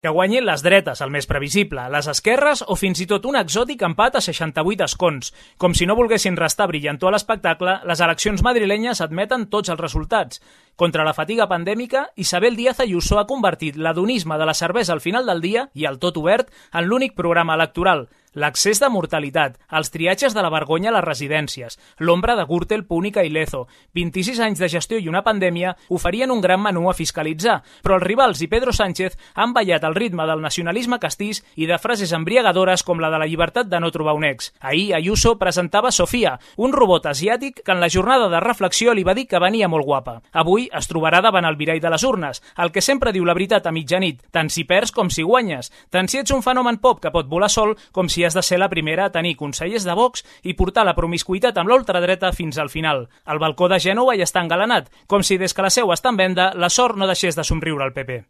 Que guanyin les dretes, el més previsible, les esquerres o fins i tot un exòtic empat a 68 escons. Com si no volguessin restar brillantor a l'espectacle, les eleccions madrilenyes admeten tots els resultats. Contra la fatiga pandèmica, Isabel Díaz Ayuso ha convertit l'adonisme de la cervesa al final del dia i el tot obert en l'únic programa electoral. L'accés de mortalitat, els triatges de la vergonya a les residències, l'ombra de Gürtel, Púnica i Lezo, 26 anys de gestió i una pandèmia oferien un gran menú a fiscalitzar, però els rivals i Pedro Sánchez han ballat el ritme del nacionalisme castís i de frases embriagadores com la de la llibertat de no trobar un ex. Ahir Ayuso presentava Sofia, un robot asiàtic que en la jornada de reflexió li va dir que venia molt guapa. Avui es trobarà davant el mirall de les urnes, el que sempre diu la veritat a mitjanit, tant si perds com si guanyes, tant si ets un fenomen pop que pot volar sol com si has de ser la primera a tenir consellers de Vox i portar la promiscuïtat amb l'ultradreta fins al final. El balcó de Gènova ja està engalanat, com si des que la seu està en venda la sort no deixés de somriure al PP.